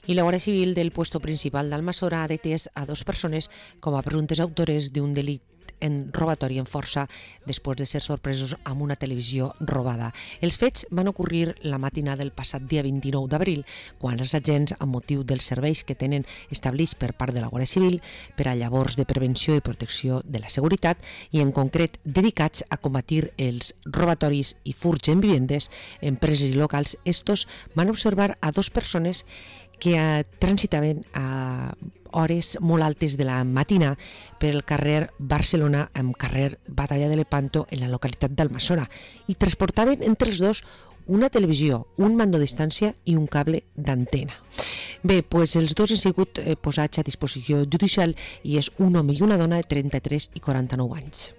Y la Guardia Civil del puesto principal d'Almassora ha detès a 2 persones com a presumptes autores d'un delit en robatori en força després de ser sorpresos amb una televisió robada. Els fets van ocorrir la matinada del passat dia 29 d'abril, quan els agents, amb motiu dels serveis que tenen establerts per part de la Guàrdia Civil per a llavors de prevenció i protecció de la seguretat i en concret dedicats a combatir els robatoris i furts en vivendes, empreses i locals, estos van observar a 2 persones que transitaven a hores molt altes de la matina per el carrer Barcelona amb carrer Batalla de Lepanto en la localitat d'Almassora i transportaven entre els dos una televisió, un mando a distància i un cable d'antena. Bé, doncs els dos han sigut posats a disposició judicial i és un home i una dona de 33 i 49 anys.